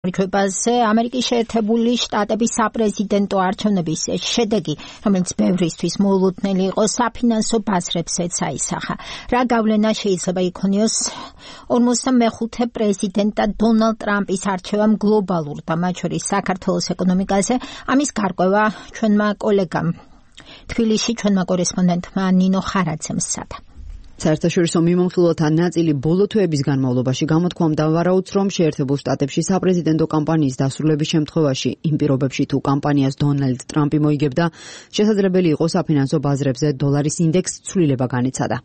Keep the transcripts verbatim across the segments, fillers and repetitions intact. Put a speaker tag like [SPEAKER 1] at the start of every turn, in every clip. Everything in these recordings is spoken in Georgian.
[SPEAKER 1] რჩებაზე ამერიკის შეერთებული შტატების საპრეზიდენტო არჩევნების შედეგი, რომელიც ბევრისთვის მოულოდნელი იყო, საფინანსო ბაზრებსაც აისახა. რა გავლენა შეიძლება იქონიოს ორმოცდამეხუთე პრეზიდენტად დონალდ ტრამპის არჩევამ გლობალურ და მათ შორის საქართველოს ეკონომიკაზე? ამის გარკვევა ჩვენმა კოლეგამ თბილისში ჩვენმა კორესპონდენტმა ნინო ხარაძემ სცადა.
[SPEAKER 2] საერთაშორისო მიმოხილველთა ნაწილი ბოლო თვეების განმავლობაში გამოთქვამდა ვარაუდს, რომ შეერთებულ შტატებში საპრეზიდენტო კამპანიის დასრულების შემთხვევაში იმ პირობებში თუ კამპანიას დონალდ ტრამპი მოიგებდა, შესაძლებელი იყო საფინანსო ბაზრებზე დოლარის ინდექს ცვლილება განეცადა.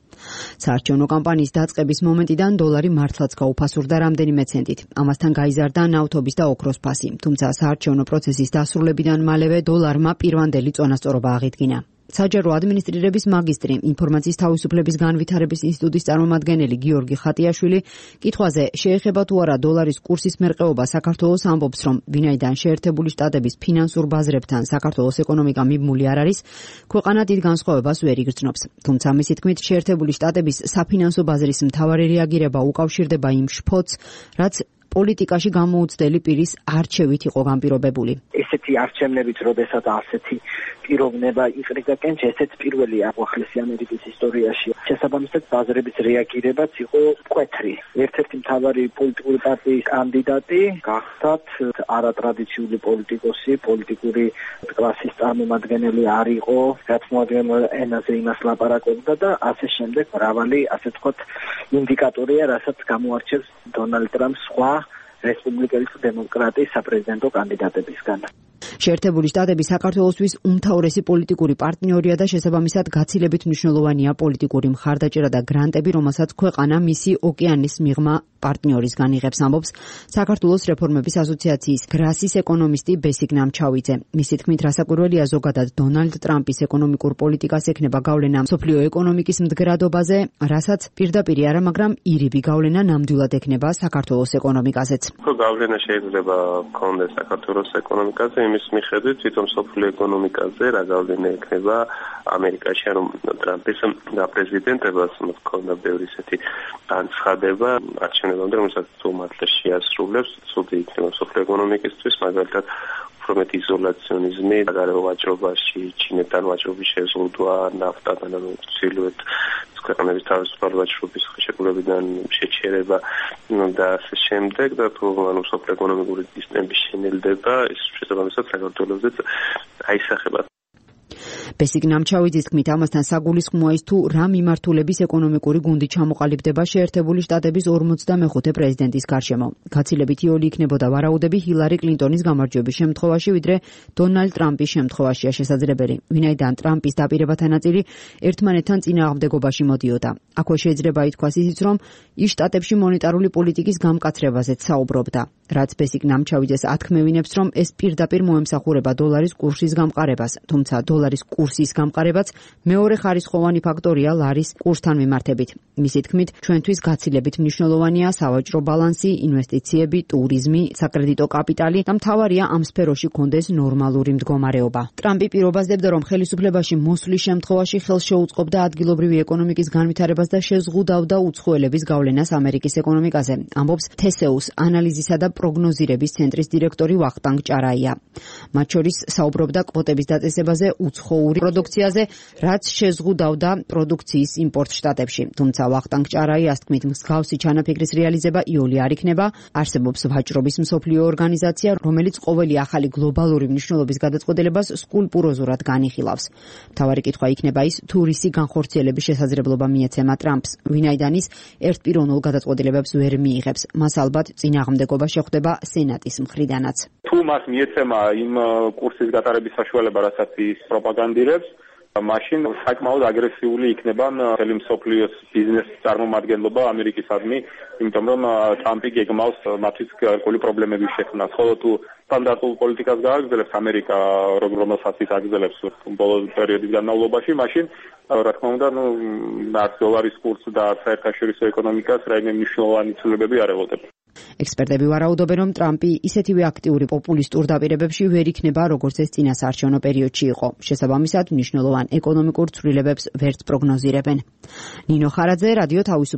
[SPEAKER 2] საარჩევნო კამპანიის დაწყების მომენტიდან დოლარი მართლაც გაუფასურდა რამდენიმე ცენტით. ამასთან გაიზარდა ნავთობის და ოქროს ფასი, თუმცა საარჩევნო პროცესის დასრულებიდან მალევე დოლარმა პირვანდელი წონასწორობა აღიდგინა. საჯარო ადმინისტრირების მაგისტრი, ინფორმაციის თავისუფლების განვითარების ინსტიტუტის წარმომადგენელი გიორგი ხატიაშვილი კითხვაზე შეეხება თუ არა დოლარის კურსის მერყეობა საქართველოს, ამბობს, რომ ვინაიდან შეერთებული შტატების ფინანსურ ბაზრებთან საქართველოს ეკონომიკა მიბმული არ არის, ქვეყანა დიდ განსხვავებას ვერ იგრძნობს. თუმცა მისი თქმით, შეერთებული შტატების საფინანსო ბაზრის მთავარი რეაგირება უკავშირდება იმ შფოთს, რაც პოლიტიკაში გამოუცდელი პირის არჩევით იყო განპირობებული.
[SPEAKER 3] ესეთი არჩევნებით, როდესაც ასეთი პიროვნება იყრიდა კენჭი, ესეც პირველი ახლესი ამერიკის ისტორიაში. შესაბამისად, ბაზრების რეაგირებაც იყო მკვეთრი. ერთ-ერთი მთავარი პოლიტიკური პარტიის კანდიდატი გახდათ არატრადიციული პოლიტიკოსი, პოლიტიკური კლასის წარმომადგენელი არ იყო, რაც მოადგენილ ენაზე იმას ლაპარაკობდა და ასე შემდეგ მრავალი, ასე ვთქვათ, ინდიკატორია, რასაც გამოარჩევს დონალდ ტრამპს სხვა რესპუბლიკელი დემოკრატიის საპრეზიდენტო კანდიდატებისგან.
[SPEAKER 2] შეერთებული შტატები საქართველოსთვის უმთავრესი პოლიტიკური პარტნიორია და შესაბამისად გაცილებით მნიშვნელოვანია პოლიტიკური მხარდაჭერა და გრანტები, რომელსაც ქვეყანა მისი ოკეანის მიღმა პარტნიორისგან იღებს, ამბობს საქართველოს რეფორმების ასოციაციის გრასის ეკონომისტი ბესიკ ნამჩავიძე. მისი თქმით, რასაკვირველია, ზოგადად დონალდ ტრამპის ეკონომიკურ პოლიტიკას ექნება გავლენა მსოფლიო ეკონომიკის მდგრადობაზე, რასაც პირდაპირ არა, მაგრამ ირიბი გავლენა ნამდვილად ექნება საქართველოს ეკონომიკაზეც.
[SPEAKER 4] გავლენა შეიძლება გქონდეს საქართველოს ეკონომიკაზე, იმის მიხედვით თვითონ მსოფლიო ეკონომიკაზე რა გავლენა ექნება ამერიკაში, რომ ტრამპის გაპრეზიდენტებას მქონდა ბევრი ისეთი განცხადება არჩევნებამდე, რომელსაც თუ მართლა შეასრულებს, ცუდი იქნება მსოფლიო ეკონომიკისთვის, მაგალითად უფრო მეტი იზოლაციონიზმი, საგარეო ვაჭრობაში, ჩინეთთან ვაჭრობის შეზღუდვა, ნაფტათან, ანუ ცილუეთ ქვეყნების თავისუფალი ვაჭრობის ხელშეკრულებიდან შეჩერება და ასე შემდეგ და თუ ანუ მსოფლიო ეკონომიკური სისტემის შენელდება, ის შესაბამისად საქართველოსაც აისახება.
[SPEAKER 2] ბესიკ ნამჩავიძის თქმით, ამასთან საგულისხმოა ის თუ რა მიმართულების ეკონომიკური გუნდი ჩამოყალიბდება შეერთებული შტატების ორმოცდამეხუთე პრეზიდენტის გარშემო. გაცილებით იოლი იქნებოდა ვარაუდები ჰილარი კლინტონის გამარჯვების შემთხვევაში, ვიდრე დონალდ ტრამპის შემთხვევაშია შესაძლებელი. ვინაიდან ტრამპის დაპირებათა ნაწილი ერთმანეთთან წინააღმდეგობაში მოდიოდა. აქვე შეიძლება ითქვას ისიც, რომ ის შტატებში მონეტარული პოლიტიკის გამკაცრებაზეც საუბრობდა. რაც ბესიკ ნამჩავიძეს ათქმევინებს, რომ ეს პირდაპირ მოემსახურება დოლარის კურსის გამყარებას, თუმცა დოლარის კურსის გამყარებაც მეორე ხარისხოვანი ფაქტორია ლარის კურსთან მიმართებით. მისი თქმით, ჩვენთვის გაცილებით მნიშვნელოვანია სავაჭრო ბალანსი, ინვესტიციები, ტურიზმი, საკრედიტო კაპიტალი და მთავარია ამ სფეროში გქონდეს ნორმალური მდგომარეობა. ტრამპი პირობაზდებდა, რომ ხელისუფლებაში მოსვლის შემთხვევაში ხელს შეუწყობდა ადგილობრივი ეკონომიკის განვითარებას და შეზღუდავდა უცხოელების გავლენას ამერიკის ეკონომიკაზე, ამბობს თესეუს ანალიზისა და პროგნოზირების ცენტრის დირექტორი ვახტანგ ჭარაია. მათ შორის საუბრობდა კვოტების დაწესებაზე უცხოური პროდუქციაზე, რაც შეზღუდავდა პროდუქციის იმპორტს შტატებში. თუმცა ვახტანგ ჭარაიას თქმით, მსგავსი ჩანაფიქრის რეალიზება იოლი არ იქნება. არსებობს ვაჭრობის მსოფლიო ორგანიზაცია, რომელიც ყოველი ახალი გლობალური მნიშვნელობის გადაწყვეტილებას სკულპტუროზურად განიხილავს. მთავარი კითხვა იქნება ის, თუ რისი განხორციელების შესაძლებლობა მიეცემა ტრამპს, ვინაიდან ის ერთპიროვნულ გადაწყვეტილებებს ვერ მიიღებს. მას ალბათ წინააღმდეგობა შეხვდება სენატის მხრიდანაც.
[SPEAKER 5] თუ მას მიეცემა იმ კურსის გატარების საშუალება, რასაც ის პროპაგანდირებს, მაშინ საკმაოდ აგრესიული იქნება მთელი მსოფლიოს ბიზნესის წარმომადგენლობა ამერიკისადმი, იმიტომ რომ ტრამპი გეგმავს მათთვის გარკვეული პრობლემების შექმნას. ხოლო თუ სტანდარტულ პოლიტიკას გააგრძელებს ამერიკა, რომელსაც ის აგრძელებს ბოლო პერიოდის განმავლობაში, მაშინ რა თქმა უნდა, ნუ არც დოლარის კურსს და არც საერთაშორისო ეკონომიკას რაიმე მნიშვნელოვანი ცვლილებები არ ელოდება.
[SPEAKER 2] ექსპერტები ვარაუდობენ, რომ ტრამპი ისეთივე აქტიური პოპულისტურ დაპირებებში ვერ იქნება, როგორც ეს წინა საარჩევნო პერიოდში იყო. შესაბამისად, მნიშვნელოვან ეკონომიკურ ცვლილებებს ვერც პროგნოზირებენ. ნინო ხარაძე, რადიო თავისუფლება.